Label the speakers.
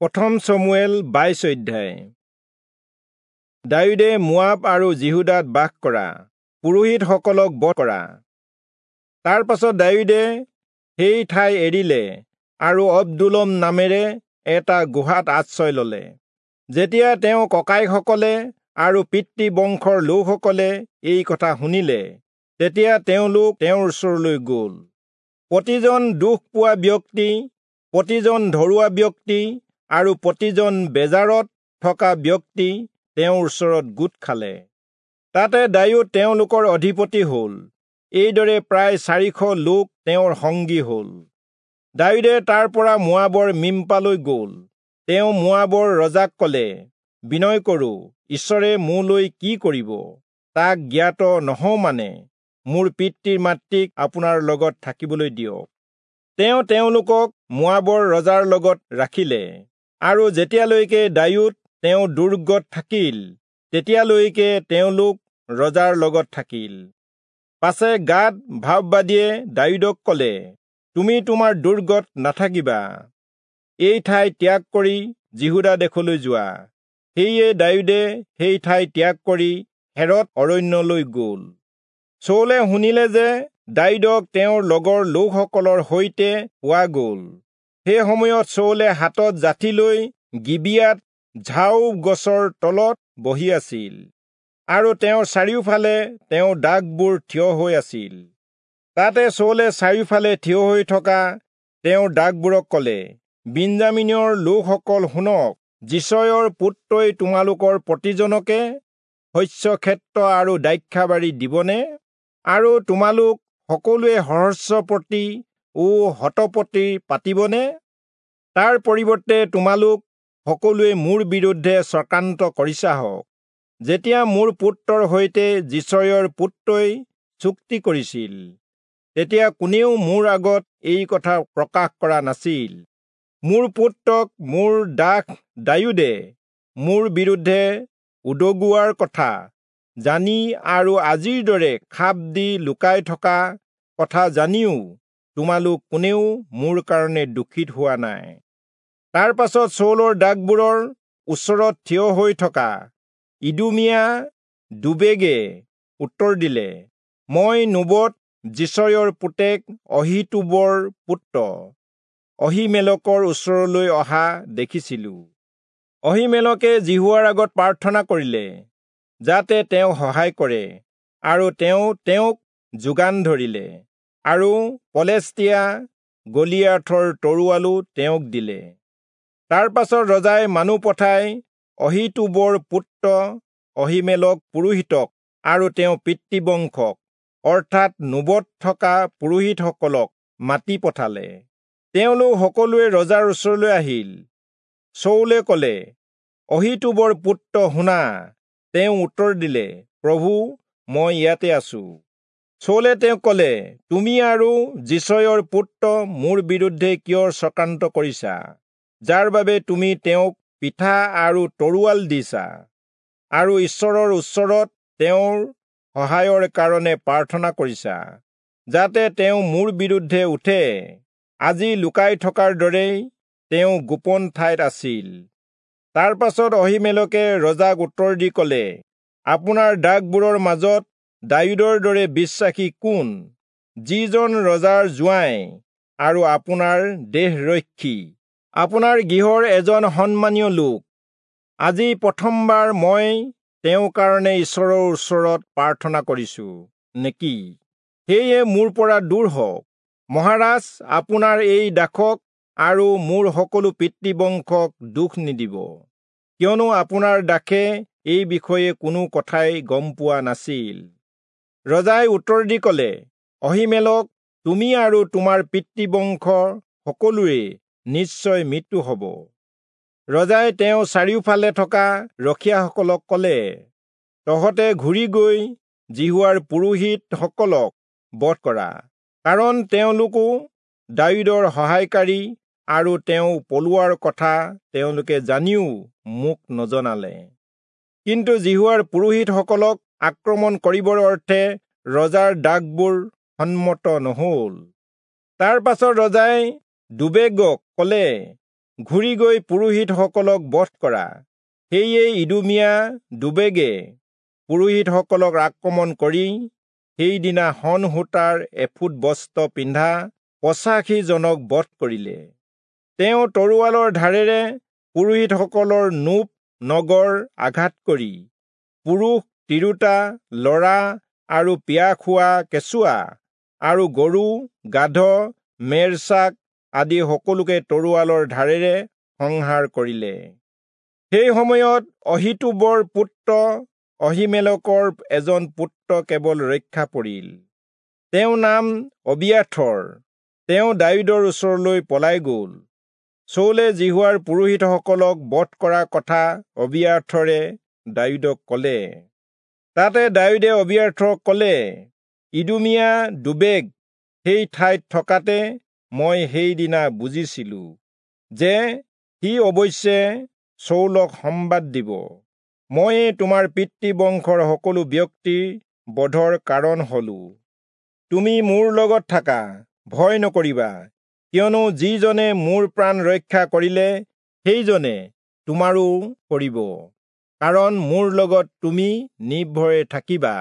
Speaker 1: প্ৰথম চমুৱেল 22 অধ্যায়। দায়ূদে মোৱাব আৰু যিহূদাত বাস কৰা পুৰোহিতসকলক বধ কৰা। তাৰ পাছত দায়ূদে সেই ঠাই এৰিলে আৰু অব্দুলম নামেৰে এটা গুহাত আশ্ৰয় ললে। যেতিয়া তেওঁ ককাইসকলে আৰু পিতৃ বংশৰ লোকসকলে এই কথা শুনিলে, তেতিয়া তেওঁলোক তেওঁৰ ওচৰলৈ গ'ল। প্ৰতিজন দুখ পোৱা ব্যক্তি, প্ৰতিজন ধৰুৱা ব্যক্তি আৰু প্ৰতিজন বেজাৰত থকা ব্যক্তি তেওঁৰ ওচৰত গোট খালে। তাতে দায়ূদ তেওঁলোকৰ অধিপতি হ'ল। এইদৰে প্ৰায় 400 লোক তেওঁৰ সংগী হ'ল। দায়ূদে তাৰ পৰা মোৱাবৰ মিম্পালৈ গ'ল। তেওঁ মোৱাবৰ ৰজাক ক'লে, বিনয় কৰোঁ, ঈশ্বৰে মোলৈ কি কৰিব তাক জ্ঞাত নহওঁ মানে মোৰ পিতৃ মাতৃক আপোনাৰ লগত থাকিবলৈ দিয়ক। তেওঁ তেওঁলোকক মোৱাবৰ ৰজাৰ লগত ৰাখিলে আৰু যেতিয়ালৈকে দায়ূদ তেওঁ দুৰ্গত থাকিল, তেতিয়ালৈকে তেওঁলোক ৰজাৰ লগত থাকিল। পাছে গাদ ভাববাদীয়ে দায়ূদক ক'লে, তুমি তোমাৰ দুৰ্গত নাথাকিবা, এই ঠাই ত্যাগ কৰি যিহূদা দেশলৈ যোৱা। সেয়ে দায়ূদে সেই ঠাই ত্যাগ কৰি হেৰৎ অৰণ্যলৈ গ'ল। চৌলে শুনিলে যে দায়ূদক তেওঁৰ লগৰ লোকসকলৰ সৈতে পোৱা গ'ল। সেই সময়ত চৌলে হাতত যাঠি লৈ গিবিয়াত ঝাও গছৰ তলত বহি আছিল আৰু তেওঁৰ চাৰিওফালে তেওঁৰ দাসবোৰ থিয় হৈ আছিল। তাতে চৌলে চাৰিওফালে থিয় হৈ থকা তেওঁৰ দাসবোৰক ক'লে, বিন্যামীনৰ লোকসকল শুনক, যিচয়ৰ পুত্ৰই তোমালোকৰ প্ৰতিজনকে শস্যক্ষেত্ৰ আৰু দ্ৰাক্ষাবাৰী দিবনে? আৰু তোমালোক সকলোৱে সহস্ৰপতি ও শতপতি পাতিবনে? তাৰ পৰিৱৰ্তে তোমালোক সকলোৱে মোৰ বিৰুদ্ধে চক্ৰান্ত কৰিছাহঁক। যেতিয়া মোৰ পুত্ৰৰ সৈতে যিচয়ৰ পুত্ৰই চুক্তি কৰিছিল, তেতিয়া কোনেও মোৰ আগত এই কথা প্ৰকাশ কৰা নাছিল। মোৰ পুত্ৰক মোৰ দাস দায়ূদে মোৰ বিৰুদ্ধে উদগোৱাৰ কথা জানি আৰু আজিৰ দৰে খাপ দি লুকাই থকা কথা জানিও তোমালোক কোনেও মোৰ কাৰণে দুখিত হোৱা নাই। তাৰ পাছত চৌলৰ দাসবোৰৰ ওচৰত থিয় হৈ থকা ইদুমীয়া দুবেগে উত্তৰ দিলে, মই নোবত যিচয়ৰ পুতেক অহীতূবৰ পুত্ৰ অহীমেলকৰ ওচৰলৈ অহা দেখিছিলোঁ। অহীমেলকে যিহোৱাৰ আগত প্ৰাৰ্থনা কৰিলে যাতে তেওঁ সহায় কৰে, আৰু তেওঁ তেওঁক যোগান ধৰিলে আৰু পলেষ্টীয়া গলিয়াথৰ তৰোৱালো তেওঁক দিলে। তাৰ পাছত ৰজাই মানুহ পঠাই অহীতূবৰ পুত্ৰ অহীমেলক পুৰোহিতক আৰু তেওঁ পিতৃবংশক অৰ্থাৎ নোবত থকা পুৰোহিতসকলক মাতি পঠালে। তেওঁলোক সকলোৱে ৰজাৰ ওচৰলৈ আহিল। চৌলে ক'লে, অহীতূবৰ পুত্ৰ শুনা। তেওঁ উত্তৰ দিলে, প্ৰভু, মই ইয়াতে আছো। চৌলে তেওঁক ক'লে, তুমি আৰু যিচয়ৰ পুত্ৰ মোৰ বিৰুদ্ধে কিয় চক্ৰান্ত কৰিছা, যাৰ বাবে তুমি তেওঁক পিঠা আৰু তৰোৱাল দিছা আৰু ঈশ্বৰৰ ওচৰত তেওঁৰ সহায়ৰ কাৰণে প্ৰাৰ্থনা কৰিছা, যাতে তেওঁ মোৰ বিৰুদ্ধে উঠে? আজি লুকাই থকাৰ দৰেই তেওঁ গোপন ঠাইত আছিল। তাৰ পাছত অহীমেলকে ৰজাক উত্তৰ দি ক'লে, আপোনাৰ দাসবোৰৰ মাজত দায়ূদৰ দৰে বিশ্বাসী কোন, যিজন ৰজাৰ জোঁৱাই আৰু আপোনাৰ দেহৰক্ষী, আপোনাৰ গৃহৰ এজন সন্মানীয় লোক? আজি প্ৰথমবাৰ মই তেওঁৰ কাৰণে ঈশ্বৰৰ ওচৰত প্ৰাৰ্থনা কৰিছো নেকি? সেয়ে মোৰ পৰা দূৰ হওক। মহাৰাজ, আপোনাৰ এই দাসক আৰু মোৰ সকলো পিতৃবংশক দুখ নিদিব, কিয়নো আপোনাৰ দাসে এই বিষয়ে কোনো কথাই গম পোৱা নাছিল। ৰজাই উত্তৰ দি ক'লে, অহীমেলক, তুমি আৰু তোমাৰ পিতৃবংশ সকলোৰে নিশ্চয় মৃত্যু হ'ব। ৰজাই তেওঁ চাৰিওফালে থকা ৰখীয়াসকলক ক'লে, তহঁতে ঘূৰি গৈ যিহোৱাৰ পুৰোহিতসকলক বধ কৰা, কাৰণ তেওঁলোকো দায়ূদৰ সহায়কাৰী আৰু তেওঁ পলোৱাৰ কথা তেওঁলোকে জানিও মোক নজনালে। কিন্তু যিহোৱাৰ পুৰোহিতসকলক আক্ৰমণ কৰিবৰ অৰ্থে ৰজাৰ দাসবোৰ সন্মত নহ'ল। তাৰ পাছত ৰজাই দুবেগক ক'লে, ঘূৰি গৈ পুৰোহিতসকলক বধ কৰা। সেয়ে ইদুমীয়া দোৱেগে পুৰোহিতসকলক আক্ৰমণ কৰি সেইদিনা শণ সূতাৰ এফোদ বস্ত্ৰ পিন্ধা 85 জনক বধ কৰিলে। তেওঁ তৰোৱালৰ ধাৰেৰে পুৰোহিতসকলৰ নোব নগৰ আঘাত কৰি পুৰুষ, তিৰোতা, ল'ৰা আৰু পিয়া খোৱা কেঁচুৱা আৰু গৰু, গাধ, মেৰছাক আদি সকলোকে তৰোৱালৰ ধাৰেৰে সংহাৰ কৰিলে। সেই সময়ত অহীতূবৰ পুত্ৰ অহীমেলকৰ এজন পুত্ৰ কেৱল ৰক্ষা পৰিল, তেওঁৰ নাম অবিয়াথৰ। তেওঁ দায়ূদৰ ওচৰলৈ পলাই গ'ল। চৌলে যিহোৱাৰ পুৰোহিতসকলক বধ কৰা কথা অবিয়াথৰে দায়ূদক ক'লে। তাতে দায়ূদে অবিয়াথৰক ক'লে, ইদুমীয়া দোৱেগ সেই ঠাইত থকাতে মই সেইদিনা বুজিছিলো যে সি অৱশ্যে চৌলক সম্বাদ দিব। ময়ে তোমাৰ পিতৃ বংশৰ সকলো ব্যক্তিৰ বধৰ কাৰণ হলো। তুমি মোৰ লগত থাকা, ভয় নকৰিবা, কিয়নো যিজনে মোৰ প্ৰাণ ৰক্ষা কৰিলে সেইজনে তোমাৰো কৰিব, কাৰণ মোৰ লগত তুমি নিৰ্ভয়ে থাকিবা।